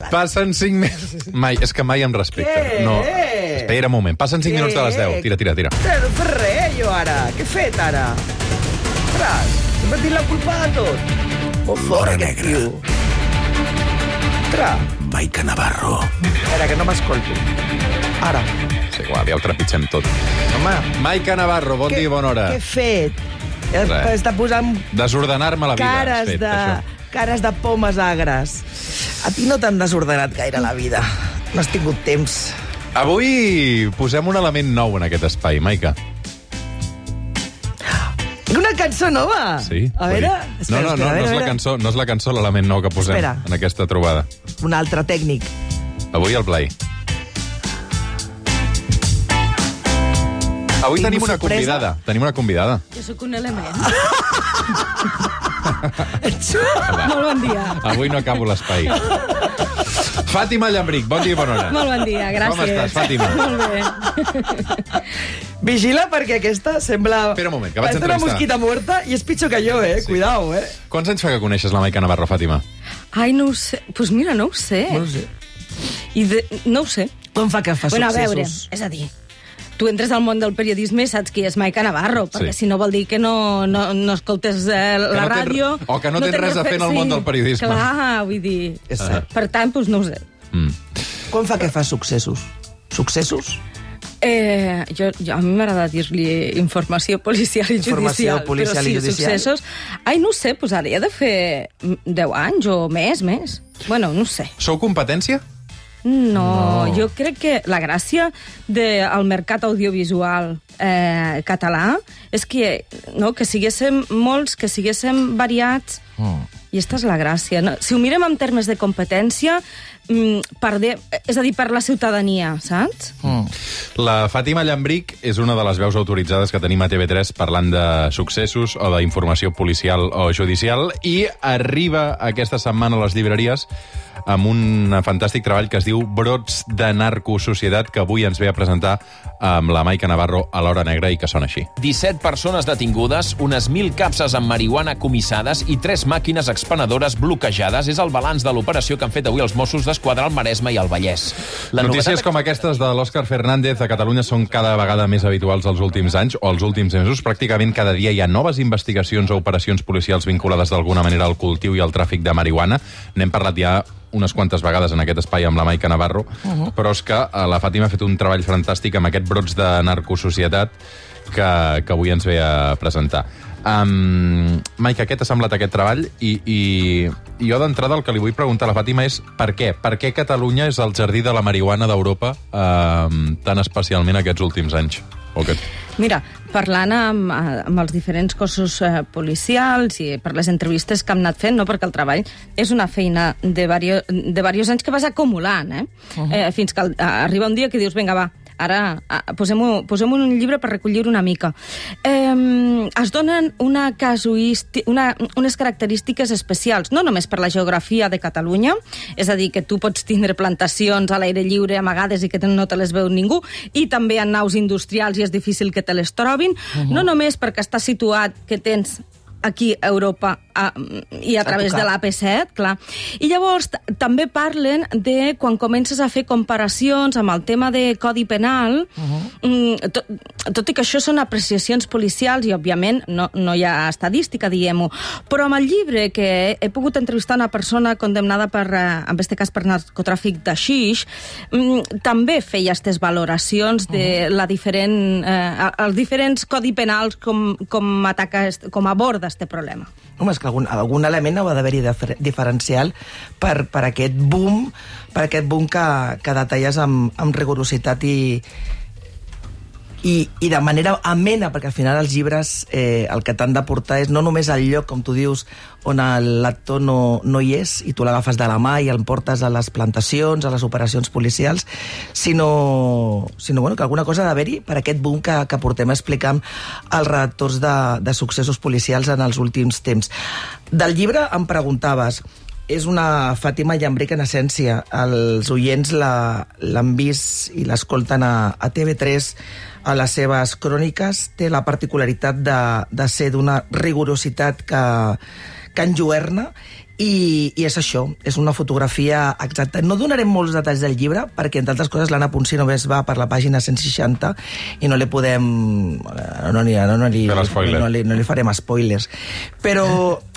Passen 5 minuts... És que mai em respecta. Què? No. Espera un moment. Passen 5 minuts de les 10. Tira. No fes res, jo, ara. Què he fet, ara? Ostres, he patit la culpa de tot. Molt fort, L'hora aquest negra. tio. Ostres. Maica Navarro. Espera, que no m'escolto. Ara. És igual, ja ho trepitgem tot. Home. Maica Navarro, bon dia i bona hora. Què he fet? Res. Està posant Desordenar-me la vida. has fet, això. cares de pomes agres. A ti no t'han desordenat gaire la vida. No has tingut temps. Avui posem un element nou en aquest espai, Maica. Una cançó nova? Sí. A veure... No és la cançó l'element nou que posem Espera. en aquesta trobada. Un altre tècnic. Avui al Blai. Avui tenim una sorpresa? convidada. Jo sóc un element. Molt bon dia. Avui no acabo l'espai. Fàtima Llambric, bon dia i bona hora. Molt bon dia, gràcies. Com estàs, Fàtima? Molt bé. Vigila, perquè aquesta sembla... Espera un moment, que vaig Parece una entrevistar. mosquita muerta i és pitjor que jo, Sí. Cuidao, Quants anys fa que coneixes la Maica Navarro, Fàtima? Ai, no ho sé. Pues mira, no ho sé. No sé. No ho sé. Com fa que fa Bueno, a veure, successos? és a dir, tu entres al món del periodisme i saps qui és Maica Navarro, perquè Sí. si no vol dir que no escoltes la no tens- ràdio... o que no tens res a fer en el món del periodisme. Clar, vull dir... És cert. Per tant, doncs no ho sé. Com fa que fa successos? Successos? A mi m'agrada dir-li informació policial i Informació judicial. policial però i judicial. Successos... Ai, no ho sé, doncs ara he de fer 10 anys o més. Bueno, no ho sé. Sou competència? No, jo crec que la gràcia del mercat audiovisual català és que siguéssim molts, que siguéssim variats, i aquesta és la gràcia. No? Si ho mirem en termes de competència, és a dir, per la ciutadania, saps? La Fàtima Llambric és una de les veus autoritzades que tenim a TV3 parlant de successos o d'informació policial o judicial, i arriba aquesta setmana a les llibreries amb un fantàstic treball que es diu Brots de narcosocietat, que avui ens ve a presentar amb la Maica Navarro a l'Hora Negra, i que sona així. 17 persones detingudes, unes 1.000 capses amb marihuana comissades i 3 màquines expenedores bloquejades. És el balanç de l'operació que han fet avui els Mossos d'Esquadra al Maresme i al Vallès. Notícies com aquestes de l'Òscar Fernández a Catalunya són cada vegada més habituals els últims anys o els últims mesos. Pràcticament cada dia hi ha noves investigacions o operacions policials vinculades d'alguna manera al cultiu i al tràfic de marihuana. N'hem parlat ja unes quantes vegades en aquest espai amb la Maica Navarro, però és que la Fàtima ha fet un treball fantàstic amb aquest Brots de narcosocietat que avui ens ve a presentar. Maica, què t'ha semblat aquest treball? I jo d'entrada el que li vull preguntar a la Fàtima és per què? Per què Catalunya és el jardí de la marihuana d'Europa tan especialment aquests últims anys? Mira, parlant amb els diferents cossos policials i per les entrevistes que hem anat fent, no? Perquè el treball és una feina de diversos anys que vas acumulant, fins que arriba un dia que dius, vinga, va, ara posem un llibre per recollir una mica. Es donen unes característiques especials, no només per la geografia de Catalunya, és a dir, que tu pots tindre plantacions a l'aire lliure amagades i que no te les veu ningú, i també en naus industrials i és difícil que te les trobin, no només perquè està situat que tens aquí a Europa i a través de l'AP7, clar. I llavors també parlen de quan comences a fer comparacions amb el tema de Codi Penal, tot i que això són apreciacions policials i, òbviament, no hi ha estadística, diguem-ho, però amb el llibre que he pogut entrevistar una persona condemnada per, en aquest cas, per narcotràfic de xix, també feia aquestes valoracions de els diferents codi penals com aborda aquest problema. Home, és que algun element ha d'haver-hi diferencial per aquest boom que detalles amb rigorositat i de manera amena, perquè al final els llibres el que t'han de portar és no només el lloc, com tu dius, on el lector no hi és i tu l'agafes de la mà i el portes a les plantacions, a les operacions policials, sinó que alguna cosa ha d'haver-hi per aquest boom que portem explicant els redactors de successos policials en els últims temps. Del llibre em preguntaves, és una Fàtima Llambric en essència. Els oients l'han vist i l'escolten a TV3 a les seves cròniques. Té la particularitat de ser d'una rigorositat que enlluerna I és això, és una fotografia exacta. No donarem molts detalls del llibre, perquè, entre altres coses, l'Anna Ponsí només va per la pàgina 160 i no li podem... No li farem spoilers. Però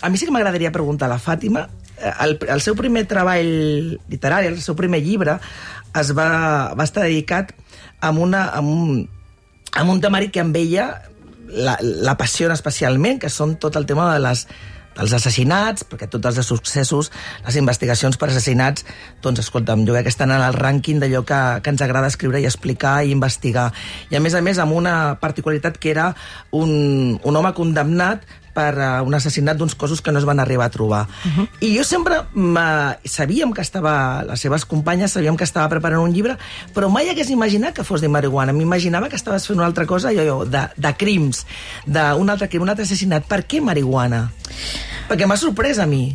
a mi sí que m'agradaria preguntar a la Fàtima, el seu primer treball literari, el seu primer llibre, va estar dedicat a un temari que amb ella l'apassiona especialment, que són tot el tema dels assassinats, perquè tots els successos, les investigacions per assassinats, doncs, escolta'm, jo crec que estan en el rànquing d'allò que ens agrada escriure i explicar i investigar. I, a més, amb una particularitat que era un home condemnat per un assassinat d'uns cossos que no es van arribar a trobar. I jo sempre sabíem que les seves companyes sabíem que estava preparant un llibre, però mai hagués imaginat que fos de marihuana. M'imaginava que estaves fent una altra cosa, de crims, d'un altre crim, un altre assassinat. Per què marihuana? Perquè m'ha sorprès a mi.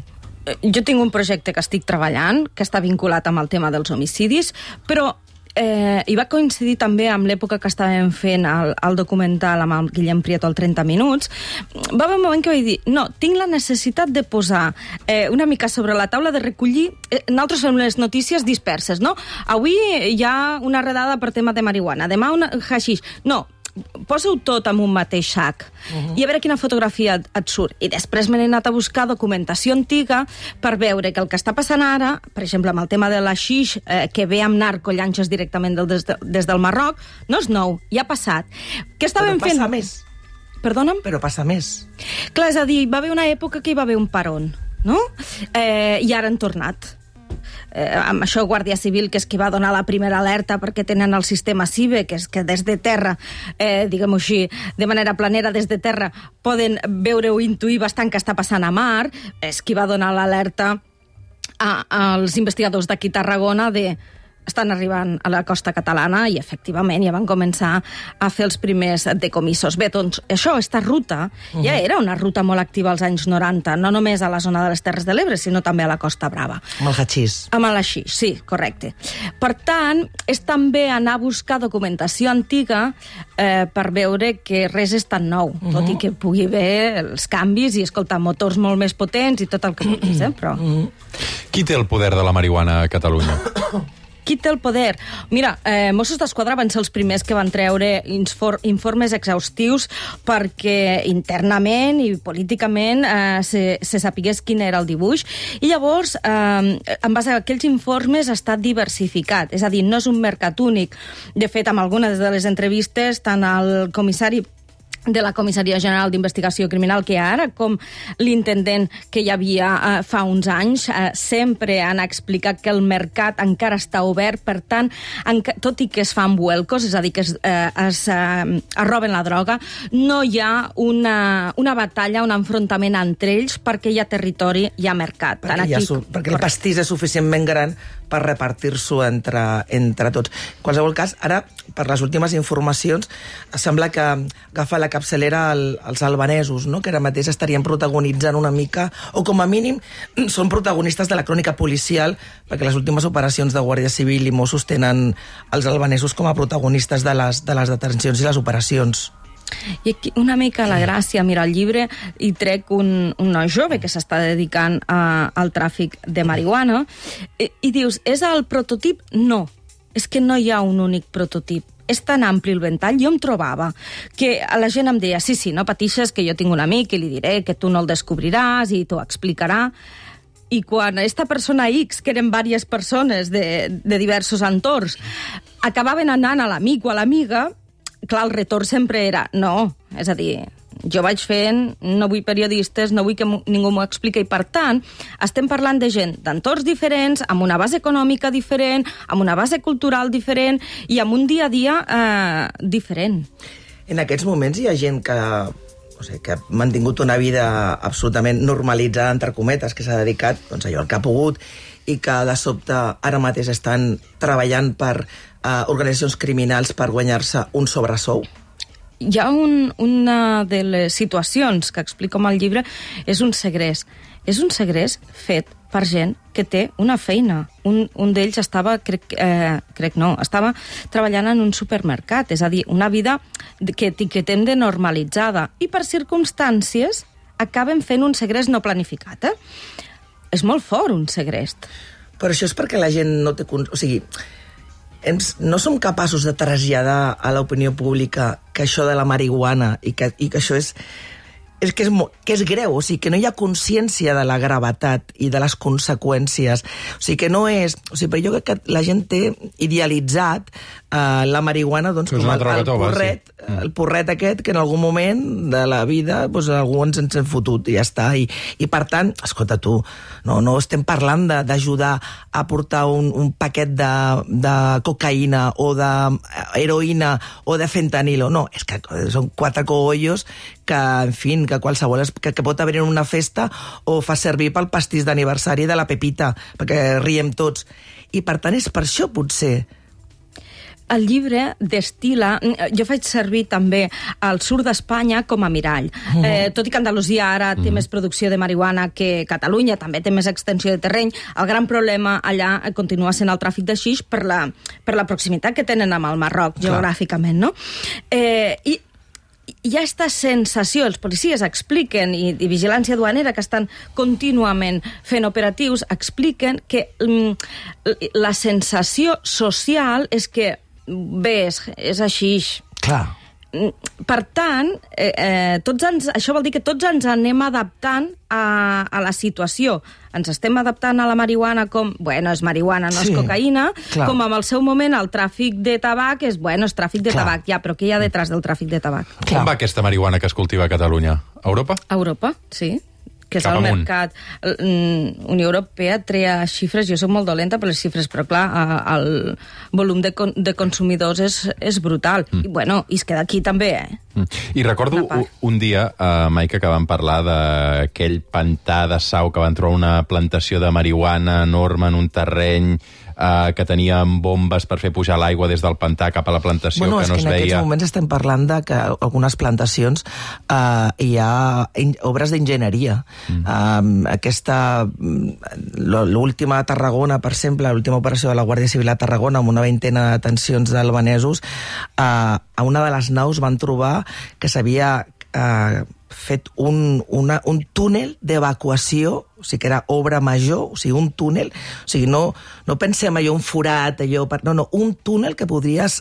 Jo tinc un projecte que estic treballant, que està vinculat amb el tema dels homicidis, però i va coincidir també amb l'època que estàvem fent el documental amb el Guillem Prieto, el 30 minuts. Va haver un moment que vaig dir, no, tinc la necessitat de posar una mica sobre la taula, de recollir... Nosaltres fem les notícies disperses, no? Avui hi ha una redada per tema de marihuana, demà un haixix. No, posa-ho tot en un mateix sac i a veure quina fotografia et surt. I després m'he anat a buscar documentació antiga per veure que el que està passant ara, per exemple, amb el tema de l'haixix, que ve amb narcollanxes directament des del Marroc, no és nou, ja ha passat. Què estàvem fent? Però passa més. Perdona'm? Però passa més. Clar, és a dir, va haver una època que hi va haver un paron, no? I ara han tornat. Amb això Guàrdia Civil, que és qui va donar la primera alerta perquè tenen el sistema CIBE, que és que des de terra, diguem-ho així, de manera planera des de terra, poden veure o intuir bastant què està passant a mar, és qui va donar l'alerta als investigadors d'aquí a Tarragona estan arribant a la costa catalana i, efectivament, ja van començar a fer els primers decomissos. Bé, doncs, això, aquesta ruta, ja era una ruta molt activa als anys 90, no només a la zona de les Terres de l'Ebre, sinó també a la Costa Brava. Amb el haixix. Amb el haixix, sí, correcte. Per tant, és també anar a buscar documentació antiga per veure que res és tan nou, tot i que pugui haver els canvis i, escolta, motors molt més potents i tot el que vulguis, però... Qui té el poder de la marihuana a Catalunya? Qui té el poder? Mira, Mossos d'Esquadra van ser els primers que van treure informes exhaustius perquè internament i políticament se sapigués quin era el dibuix. I llavors, en base a aquells informes, ha estat diversificat. És a dir, no és un mercat únic. De fet, amb algunes de les entrevistes, tant el comissari de la Comissaria General d'Investigació Criminal que hi ha ara, com l'intendent que hi havia fa uns anys, sempre han explicat que el mercat encara està obert, per tant, tot i que es fan vuelcos, és a dir, que es roben la droga, no hi ha una batalla, un enfrontament entre ells, perquè hi ha territori, hi ha mercat. Perquè el pastís és suficientment gran per repartir-s'ho entre tots. En qualsevol cas, ara, per les últimes informacions, sembla que agafa la capçalera els albanesos, no? Que ara mateix estarien protagonitzant una mica, o com a mínim són protagonistes de la crònica policial, perquè les últimes operacions de Guàrdia Civil i Mossos tenen els albanesos com a protagonistes de les detencions i les operacions. I aquí una mica la gràcia, mira, al llibre hi trec un noi jove que s'està dedicant al tràfic de marihuana i dius, és el prototip? No, és que no hi ha un únic prototip. És tan ampli el ventall, jo em trobava que la gent em deia, sí, no patixes, que jo tinc un amic i li diré que tu no el descobriràs i t'ho explicarà. I quan aquesta persona X, que eren diverses persones de diversos entorns, acabaven anant a l'amic o a l'amiga, clar, el retorn sempre era no, és a dir, jo vaig fent, no vull periodistes, no vull que ningú m'ho expliqui, i per tant, estem parlant de gent d'entorns diferents, amb una base econòmica diferent, amb una base cultural diferent i amb un dia a dia diferent. En aquests moments hi ha gent que ha mantingut una vida absolutament normalitzada, entre cometes, que s'ha dedicat allò al que ha pogut i que de sobte ara mateix estan treballant per organitzacions criminals per guanyar-se un sobresou? Hi ha una de les situacions que explico al llibre, és un segrest. És un segrest fet per gent que té una feina. Un d'ells estava, estava treballant en un supermercat, és a dir, una vida que etiquetem de normalitzada. I per circumstàncies acaben fent un segrest no planificat, és molt fort, un segrest. Però això és perquè la gent no té... O sigui, no som capaços de traslladar a l'opinió pública que això de la marihuana i que això és greu, o sigui, que no hi ha consciència de la gravetat i de les conseqüències. O sigui, que no és... O sigui, però jo crec que la gent té idealitzat la marihuana com el porret aquest que en algun moment de la vida algú ens hem fotut i ja està. I per tant, escolta tu, no estem parlant d'ajudar a portar un paquet de cocaïna o d'heroïna o de fentanilo. No, és que són 4 cogollos que, en fi, que qualsevol que pot haver en una festa o fa servir pel pastís d'aniversari de la Pepita, perquè riem tots. I per tant és per això, potser. El llibre destila... Jo faig servir també el sud d'Espanya com a mirall. Tot i que Andalusia ara té més producció de marihuana que Catalunya, també té més extensió de terreny, el gran problema allà continua sent el tràfic de xix per la proximitat que tenen amb el Marroc, geogràficament, no? I hi ha aquesta sensació, els policies expliquen, i vigilància duanera, que estan contínuament fent operatius, expliquen que la sensació social és que bé, és així. Clar. Per tant, això vol dir que tots ens anem adaptant a la situació. Ens estem adaptant a la marihuana com, bueno, és marihuana, no és cocaïna, com en el seu moment el tràfic de tabac és, bueno, és tràfic de tabac, ja, però què hi ha detrás del tràfic de tabac? On va aquesta marihuana que es cultiva a Catalunya? A Europa? A Europa, sí. Que és el mercat. Unió Europea trea xifres, jo soc molt dolenta per les xifres, però clar, el volum de consumidors és brutal. I bueno, i es queda aquí també, I recordo un dia, Maica, que vam parlar d'aquell pantà de Sau, que van trobar una plantació de marihuana enorme en un terreny que tenien bombes per fer pujar l'aigua des del pantà cap a la plantació, que no es veia. En aquests moments estem parlant de que algunes plantacions hi ha obres d'enginyeria. L'última a Tarragona, per exemple, l'última operació de la Guàrdia Civil a Tarragona, amb una 20 de detencions d'albanesos, a una de les naus van trobar que s'havia fet un túnel d'evacuació, o sigui que era obra major, o sigui, un túnel, o sigui, no pensem allò, un forat, allò... No, un túnel que podries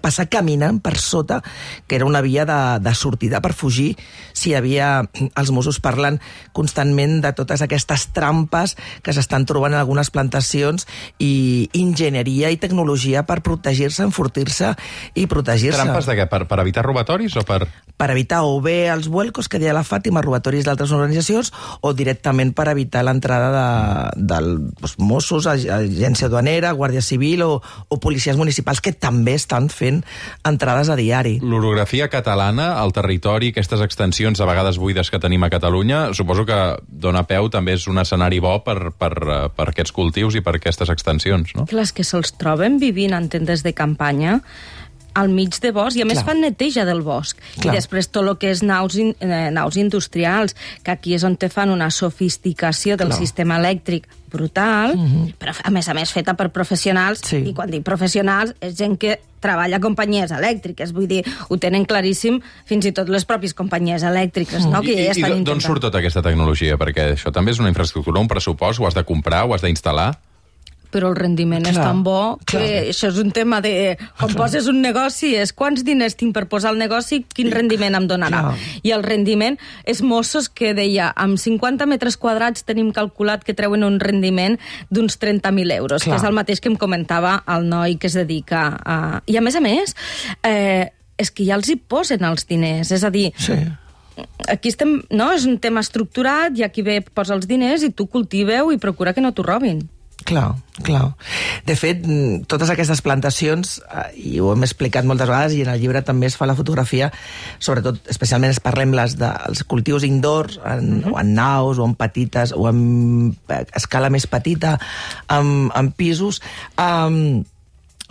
passar caminant per sota, que era una via de sortida per fugir, si hi havia els Mossos parlant constantment de totes aquestes trampes que s'estan trobant en algunes plantacions, i enginyeria i tecnologia per protegir-se, enfortir-se i protegir-se. Trampes de què? Per evitar robatoris o per...? Per evitar o bé els vuelcos que deia la Fàtima, robatoris d'altres organitzacions, o directament per evitar l'entrada dels Mossos, agència duanera, Guàrdia Civil o policies municipals, que també estan fent entrades a diari. L'orografia catalana, el territori, aquestes extensions a vegades buides que tenim a Catalunya, suposo que dona peu, també és un escenari bo per aquests cultius i per aquestes extensions, no? Clar, és que se'ls troben vivint en tendes de campanya al mig de bosc, i a més fan neteja del bosc. I després tot el que és naus industrials, que aquí és on te fan una sofisticació del sistema elèctric brutal, però a més feta per professionals, i quan dic professionals és gent que treballa a companyies elèctriques, vull dir, ho tenen claríssim fins i tot les pròpies companyies elèctriques, no? Que ja estan intentant. D'on surt tota aquesta tecnologia? Perquè això també és una infraestructura, un pressupost, ho has de comprar, ho has d'instal·lar? Però el rendiment és tan bo que això és un tema de... Quan poses un negoci és quants diners tinc per posar el negoci, quin rendiment em donarà. I el rendiment és Mossos que deia, amb 50 metres quadrats tenim calculat que treuen un rendiment d'uns 30.000 euros, que és el mateix que em comentava el noi que es dedica a... I a més, és que ja els hi posen els diners, és a dir... Aquí estem, no? És un tema estructurat, i aquí ve posa els diners i tu cultiveu i procura que no t'ho robin. Clar. De fet, totes aquestes plantacions, i ho hem explicat moltes vegades, i en el llibre també es fa la fotografia, sobretot, especialment parlem dels cultius indoors, o en naus, o en petites, o en escala més petita, en pisos,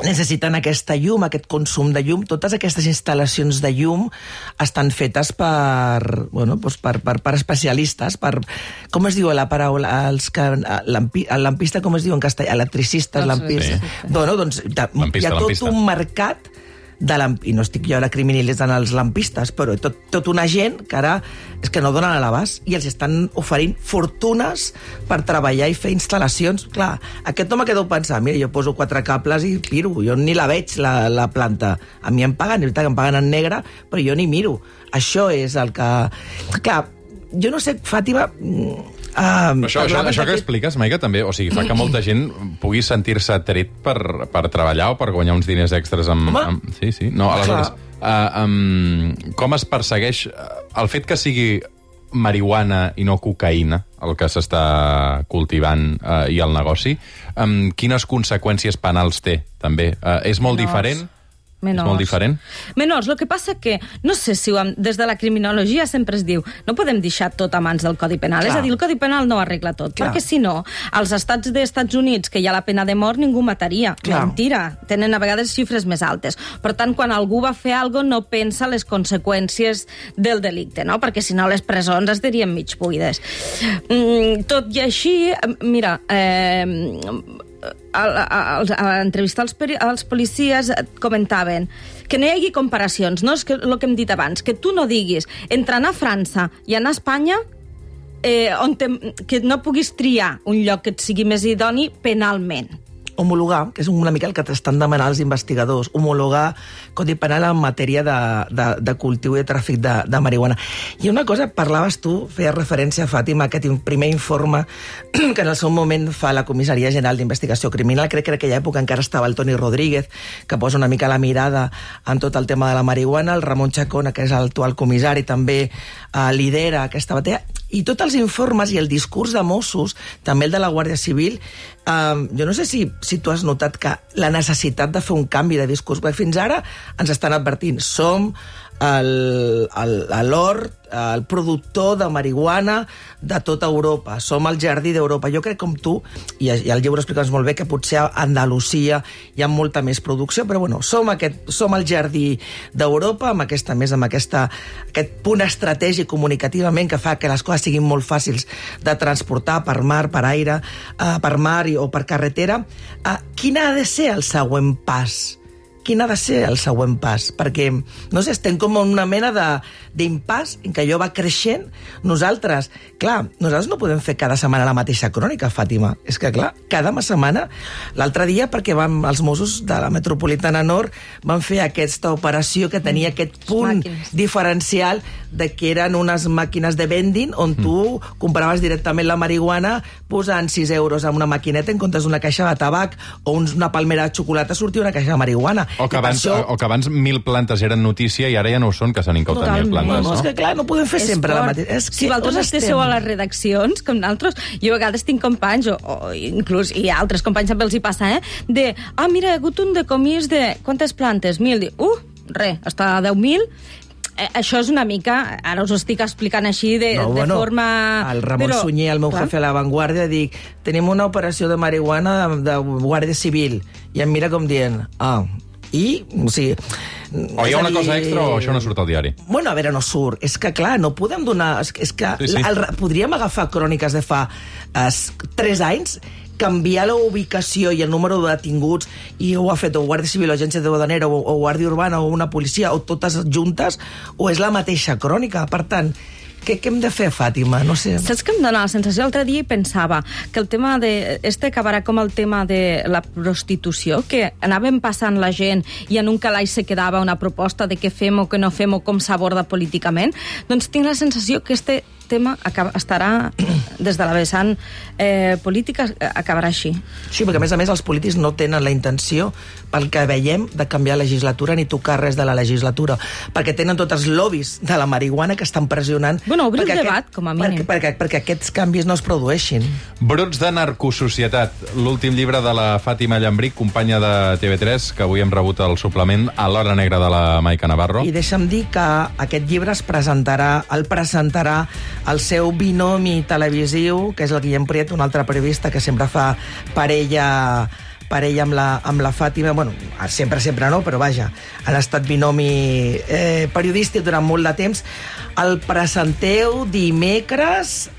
necessiten aquesta llum, aquest consum de llum. Totes aquestes instal·lacions de llum estan fetes per especialistes, com es diu la paraula? El lampista, com es diu en castellà? Electricistes, lampistes. Doncs hi ha tot un mercat i no estic jo ara criminalitzant els lampistes, però tot una gent que ara és que no donen a l'abast i els estan oferint fortunes per treballar i fer instal·lacions. Clar, aquest home que deu pensar, mira, jo poso 4 cables i piro, jo ni la veig, la planta. A mi em paguen, és veritat que em paguen en negre, però jo ni miro. Això és el que... Clar, jo no sé, Fàtima... Això que expliques, Maica, també, o sigui, fa que molta gent pugui sentir-se tret per treballar o per guanyar uns diners extras amb... Sí. No, aleshores, com es persegueix el fet que sigui marihuana i no cocaïna, el que s'està cultivant i el negoci, quines conseqüències penals té, també? És molt diferent? Menors. És molt diferent? Menors. El que passa que, no sé si des de la criminologia sempre es diu, no podem deixar tot a mans del Codi Penal. Clar. És a dir, el Codi Penal no arregla tot. Clar. Perquè, si no, als estats d'Estats Units, que hi ha la pena de mort, ningú mataria. Clar. Mentira. Tenen a vegades xifres més altes. Per tant, quan algú va fer alguna cosa, no pensa les conseqüències del delicte, no? Perquè, si no, les presons estarien mig buides. Tot i així, mira... a l'entrevista als policies comentaven que no hi hagi comparacions, no? És que el que hem dit abans, que tu no diguis entre anar a França i anar a Espanya que no puguis triar un lloc que et sigui més idoni penalment. Homologar, que és una mica el que t'estan demanant els investigadors, homologar Codi Penal en matèria de cultiu i de tràfic de marihuana. I una cosa, parlaves tu, feies referència, Fàtima, a aquest primer informe que en el seu moment fa la Comissaria General d'Investigació Criminal, crec que en aquella època encara estava el Toni Rodríguez, que posa una mica la mirada en tot el tema de la marihuana, el Ramon Chacón, que és l'actual comissari, també lidera aquesta batalla, i tots els informes i el discurs de Mossos, també el de la Guàrdia Civil, jo no sé si tu has notat que la necessitat de fer un canvi de discurs, perquè fins ara ens estan advertint, som l'hort, el productor de marihuana de tota Europa, som el jardí d'Europa. Jo crec, com tu, i el llibre expliques molt bé, que potser a Andalusia hi ha molta més producció, però bueno, som el jardí d'Europa, amb aquest punt estratègic comunicativament que fa que les coses siguin molt fàcils de transportar per mar, per aire, per mar o per carretera. Quin ha de ser el següent pas? Quin ha de ser el següent pas? Perquè, no sé, estem com en una mena d'impàs en què allò va creixent. Nosaltres no podem fer cada setmana la mateixa crònica, Fàtima. És que, clar, cada setmana, l'altre dia, perquè els Mossos de la Metropolitana Nord van fer aquesta operació que tenia aquest punt diferencial de que eren unes màquines de vending on tu compraves directament la marihuana posant 6 euros en una maquineta en comptes d'una caixa de tabac o una palmera de xocolata sortia una caixa de marihuana. O que abans 1.000 plantes eren notícia i ara ja no ho són, que s'han incautat 1.000 plantes, no? És que, clar, no podem fer sempre la mateixa. Si vosaltres esteu a les redaccions, com nosaltres, jo a vegades tinc companys, o inclús hi ha altres companys també els hi passa, mira, hi ha hagut un decomís de... Quantes plantes? 1.000. Res, està a 10.000. Això és una mica, ara us ho estic explicant així de forma... El Ramon Sunyer, el meu jefe a La Vanguardia, dic, tenim una operació de marihuana de Guàrdia Civil, i em mira com dient, i, o sigui... O hi ha una cosa extra o això no surt al diari? Bueno, a veure, no surt. És que, clar, no podem donar... És que podríem agafar cròniques de fa 3 anys, canviar la ubicació i el número de detinguts, i ho ha fet o Guàrdia Civil o Agència de Duanera o Guàrdia Urbana o una policia, o totes juntes, o és la mateixa crònica. Per tant, què hem de fer, Fàtima? No sé. Saps que em dona la sensació? L'altre dia pensava que el tema acabarà com el tema de la prostitució, que anàvem passant la gent i en un calaix se quedava una proposta de què fem o què no fem o com s'aborda políticament. Doncs tinc la sensació que este tema estarà, des de la vessant política, acabarà així. Sí, perquè a més els polítics no tenen la intenció, pel que veiem, de canviar legislatura ni tocar res de la legislatura, perquè tenen tots els lobbies de la marihuana que estan pressionant... Bueno, obrir el debat, com a mínim. Perquè aquests canvis no es produeixin. Brots de narcosocietat, l'últim llibre de la Fàtima Llambric, companya de TV3, que avui hem rebut el suplement a l'Hora Negra de la Maica Navarro. I deixa'm dir que aquest llibre el presentarà el seu binomi televisiu, que és el Guillem Prieto, un altre periodista que sempre fa parella parella amb la Fàtima, bueno, sempre no, però vaja, han estat binomi periodístic durant molt de temps. El presenteu dimecres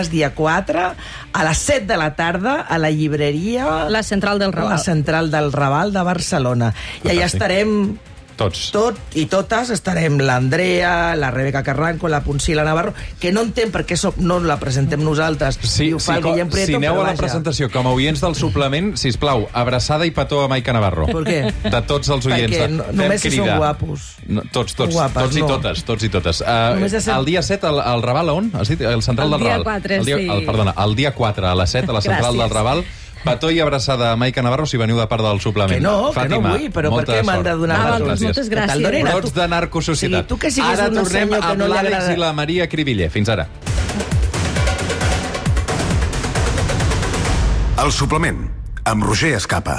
dia 4 a les 7 de la tarda a la llibreria... La Central del Raval. La Central del Raval de Barcelona. I allà estarem... Tots. I totes estarem l'Andrea, la Rebeca Carranco, la Poncila Navarro, que no entenc per què no la presentem nosaltres. Sí, i ho fa el Guillem Prieto, si aneu a la vaja. presentació com a oients del suplement, sisplau, abraçada i petó a Maica Navarro. Per què? De tots els oients. Perquè només si són guapos. No, tots Guapes, i no. tots i totes. El dia 7, al Raval, on? Has dit? El Central del Raval. El dia 4, sí. Perdona, el dia 4, a les 7, a la Central del Raval. Petó i abraçada a Maica Navarro si veniu de part del suplement. Que no Fàtima, vull, però per què m'han de donar moltes gràcies. Brots de narcosocietat. Tu que siguis ara un tornem senyor que amb no li l'Àlex agrada... i la Maria Cribiller. Fins ara. El suplement, amb Roger Escapa.